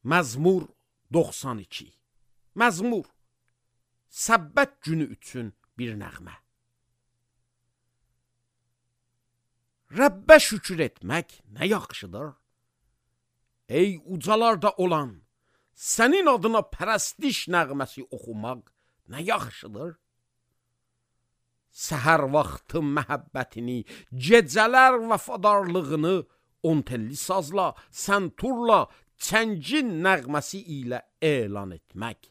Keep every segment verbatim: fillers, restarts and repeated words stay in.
Məzmur doxsan iki. Məzmur, səbbət günü üçün bir nəğmə. Rəbbə şükür etmək nə yaxşıdır. Ey ucalarda olan, sənin adına pərəstiş nəğməsi oxumaq nə yaxşıdır. Səhər vaxtı məhəbbətini, gecələr vəfadarlığını on telli sazla, sənturla, çəngin nəğməsi ilə elan etmək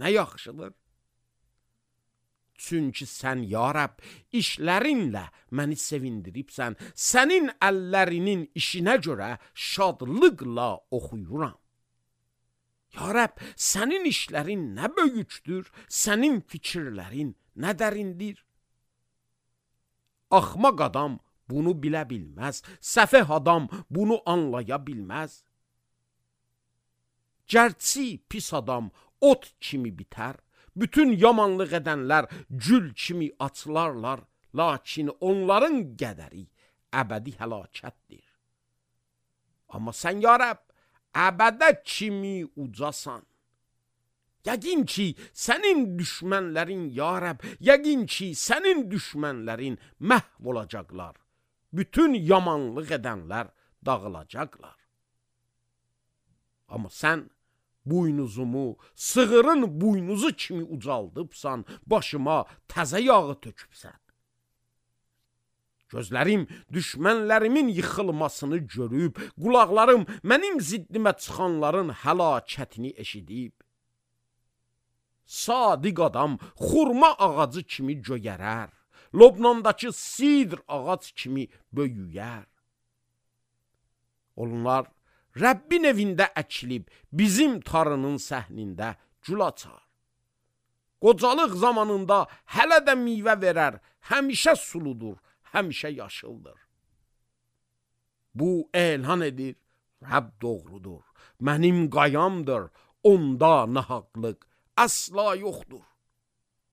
nə yaxşıdır. Çünki sən, ya Rəbb, işlərinlə məni sevindiribsən, sənin əllərinin işinə görə şadlıqla oxuyuram. Ya Rəbb, sənin işlərin nə böyükdür, sənin fikirlərin nə dərindir. Axmaq adam bunu bilə bilməz, səfeh adam bunu anlaya bilməz. Gərçi pis adam ot kimi bitər, bütün yamanlıq edənlər gül kimi açılarlar, lakin onların qədəri əbədi həlakətdir. Amma sən, ya Rəbb, əbədə kimi ucasan. Yəqin ki, sənin düşmənlərin, ya Rəbb, yəqin ki, sənin düşmənlərin məhv olacaqlar. Bütün yamanlıq edənlər dağılacaqlar. Amma sən buynuzumu sığırın buynuzu kimi ucaldıbsan, başıma təzə yağı tökübsən. Gözlərim düşmənlərimin yıxılmasını görüb, qulaqlarım mənim ziddimə çıxanların həlakətini eşidib. Sadiq adam xurma ağacı kimi göyərər, Lobnandakı sidr ağac kimi böyüyər. Onlar Rəbbin evində əkilib, bizim tarının səhnində gül açar. Qocalıq zamanında hələ də meyvə verər, həmişə suludur, həmişə yaşıldır. Bu elan edir, Rəbb doğrudur, mənim qayamdır, onda nahaqlıq əsla yoxdur.